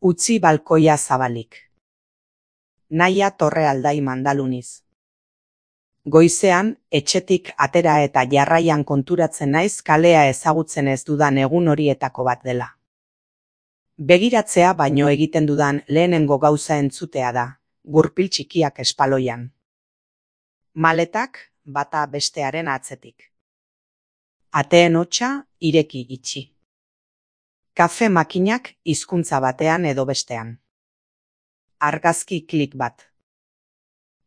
Utzi balkoia zabalik. Naia Torrealdai Mandaluniz. Goizean, etxetik atera eta jarraian konturatzen naiz kalea ezagutzen ez dudan egun horietako bat dela. Begiratzea baino egiten dudan lehenengo gauza entzutea da, gurpil txikiak espaloian. Maletak bata bestearen atzetik. Ateen hotsa ireki itxi. Kafe makinak hizkuntza batean edo bestean. Argazki klik bat.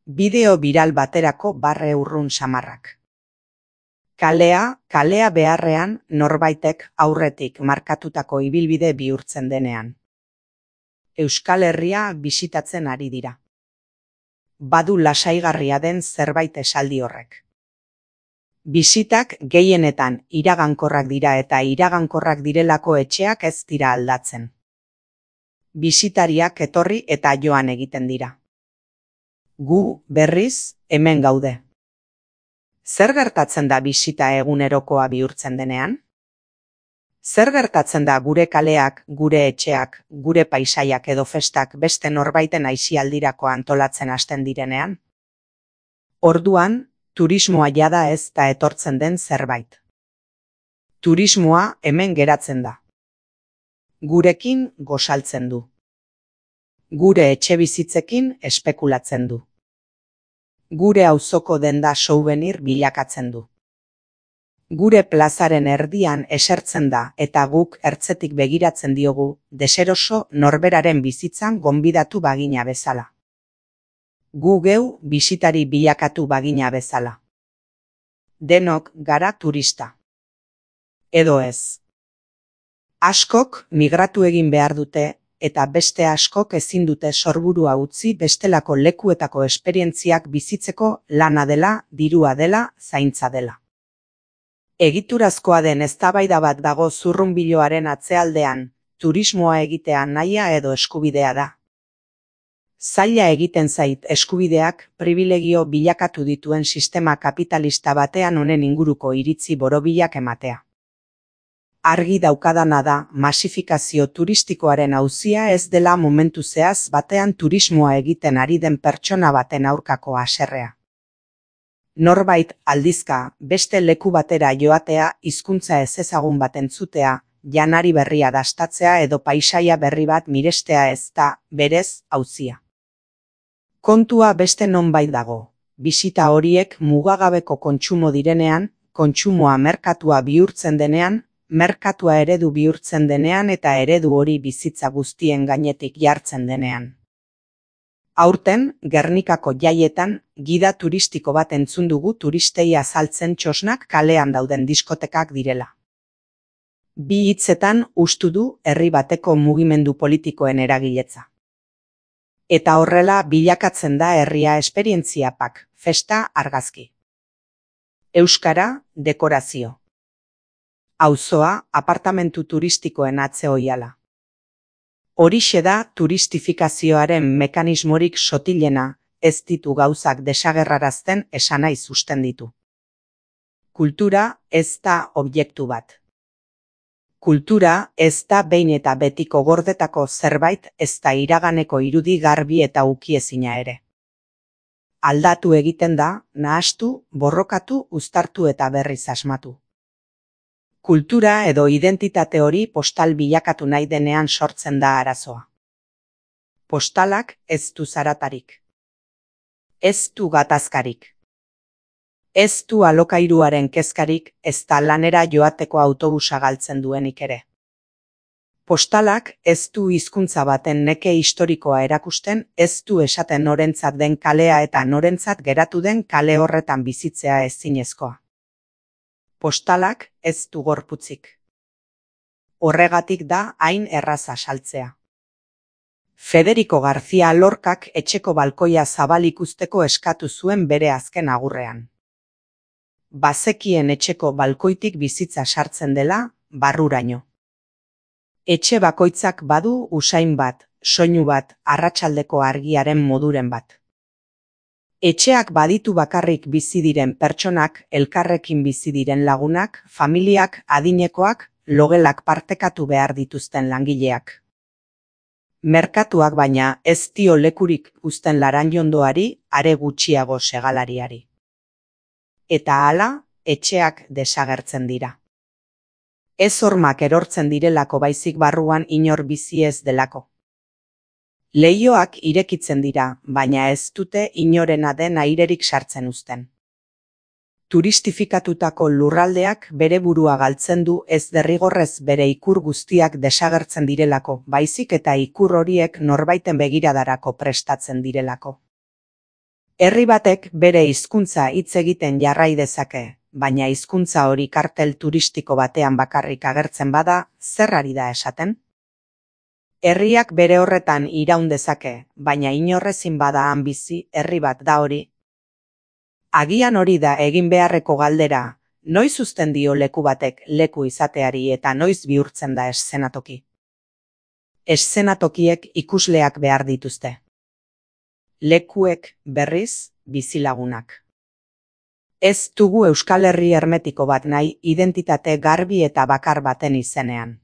Bideo biral baterako barre urrun samarrak. Kalea beharrean norbaitek aurretik markatutako ibilbide bihurtzen denean. Euskal Herria bisitatzen ari dira. Badu lasaigarria den zerbait esaldi horrek. Bisitak gehienetan iragankorrak dira eta iragankorrak direlako etxeak ez dira aldatzen. Bisitariak etorri eta joan egiten dira. Gu, berriz, hemen gaude. Zer gertatzen da bisita egunerokoa bihurtzen denean? Zer gertatzen da gure kaleak, gure etxeak, gure paisaiak edo festak beste norbaiten aisialdirako antolatzen hasten direnean? Orduan, turismoa jada ez da etortzen den zerbait. Turismoa hemen geratzen da. Gurekin gosaltzen du. Gure etxebizitzekin espekulatzen du. Gure auzoko denda souvenir bilakatzen du. Gure plazaren erdian esertzen da eta guk ertzetik begiratzen diogu deseroso norberaren bizitzan gonbidatu bagina bezala. Gu geu bisitari bilakatu bagina bezala. Denok gara turista. Edo ez. Askok migratu egin behar dute eta beste askok ezin dute sorburua utzi bestelako lekuetako esperientziak bizitzeko lana dela, dirua dela, zaintza dela. Egiturazkoa den eztabaida bat dago zurrunbiloaren atzealdean, turismoa egitea nahia edo eskubidea da. Zaila egiten zait eskubideak pribilegio bilakatu dituen sistema kapitalista batean honen inguruko iritzi borobilak ematea. Argi daukadana da masifikazio turistikoaren auzia ez dela momentu zehaz batean turismoa egiten ari den pertsona baten aurkako haserrea. Norbait aldizka beste leku batera joatea hizkuntza ezezagun bat entzutea, janari berria dastatzea edo paisaia berri bat mirestea ez da, berez, auzia. Kontua beste nonbait dago, bisita horiek mugagabeko kontsumo direnean, kontsumoa merkatua bihurtzen denean, merkatua eredu bihurtzen denean eta eredu hori bizitza guztien gainetik jartzen denean. Aurten, Gernikako jaietan, gida turistiko bat entzun dugu turistei azaltzen txosnak kalean dauden diskotekak direla. Bi hitzetan ustu du herri bateko mugimendu politikoen eragiletza. Eta horrela bilakatzen da herria esperientziapak, festa argazki. Euskara, dekorazio. Auzoa, apartamentu turistikoen atze ohiala. Horixe da turistifikazioaren mekanismorik sotilena, ez ditu gauzak desagerrarazten esanahi susten ditu. Kultura ez da objektu bat. Kultura ez da behin eta betiko gordetako zerbait ez da iraganeko irudi garbi eta ukiezina ere. Aldatu egiten da, nahastu, borrokatu, uztartu eta berriz asmatu. Kultura edo identitate hori postal bilakatu nahi denean sortzen da arazoa. Postalak ez du zaratarik. Ez du gatazkarik. Ez du alokairuaren kezkarik ez da lanera joateko autobusa galtzen duenik ere. Postalak ez du hizkuntza baten neke historikoa erakusten, ez du esaten norentzat den kalea eta norentzat geratu den kale horretan bizitzea ezinezkoa. Postalak ez du gorputzik. Horregatik da hain erraza saltzea. Federico García Lorcak etxeko balkoia zabalik uzteko eskatu zuen bere azken agurrean. Bazekien etxeko balkoitik bizitza sartzen dela, barruraino. Etxe bakoitzak badu usain bat, soinu bat, arratsaldeko argiaren moduren bat. Etxeak baditu bakarrik bizi diren pertsonak, elkarrekin bizi diren lagunak, familiak, adinekoak, logelak partekatu behar dituzten langileak. Merkatuak baina ez dio lekurik uzten Laranjondoari, are gutxiago segalariari. Eta hala, etxeak desagertzen dira. Ez hormak erortzen direlako baizik barruan inor bizi ez delako. Leihoak irekitzen dira, baina ez dute inorena den airerik sartzen uzten. Turistifikatutako lurraldeak bere burua galtzen du ez derrigorrez bere ikur guztiak desagertzen direlako, baizik eta ikur horiek norbaiten begiradarako prestatzen direlako. Herri batek bere hizkuntza hitz egiten jarrai dezake, baina hizkuntza hori kartel turistiko batean bakarrik agertzen bada, zer ari da esaten? Herriak bere horretan iraun dezake, baina inorrezin bada han bizi, herri bat da hori. Agian hori da egin beharreko galdera, noiz uzten dio leku batek leku izateari eta noiz bihurtzen da eszenatoki. Eszenatokiek ikusleak behar dituzte. Lekuek, berriz, bizilagunak. Ez dugu Euskal Herri hermetiko bat nahi identitate garbi eta bakar baten izenean.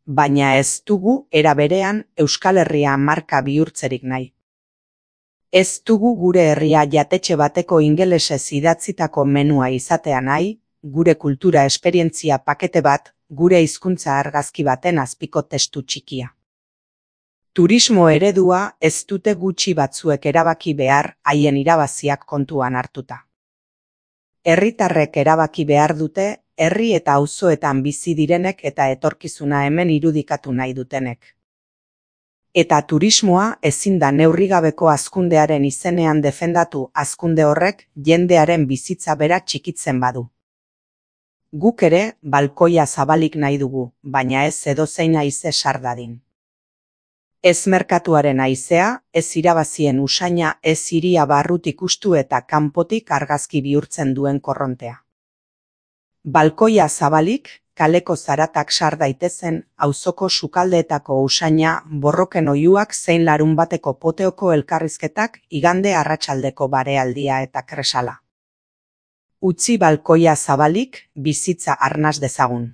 Baina ez dugu era berean Euskal Herria marka bihurtzerik nahi. Ez dugu gure herria jatetxe bateko ingelesez idatzitako menua izatea nahi, gure kultura esperientzia pakete bat, gure hizkuntza argazki baten azpiko testu txikia. Turismo eredua ez dute gutxi batzuek erabaki behar haien irabaziak kontuan hartuta. Herritarrek erabaki behar dute, herri eta auzoetan bizi direnek eta etorkizuna hemen irudikatu nahi dutenek. Eta turismoa ezin da neurrigabeko hazkundearen izenean defendatu, hazkunde horrek jendearen bizitza bera txikitzen badu. Guk ere balkoia zabalik nahi dugu, baina ez edozein haize sar dadin. Ez merkatuaren haizea, ez irabazien usaina, ez hiria barrutik ustu eta kanpotik argazki bihurtzen duen korrontea. Balkoia zabalik, kaleko zaratak sar daitezen, auzoko sukaldeetako usaina, borroken oihuak zein larunbateko poteoko elkarrizketak, igande arratsaldeko barealdia eta kresala. Utzi balkoia zabalik, bizitza arnas dezagun.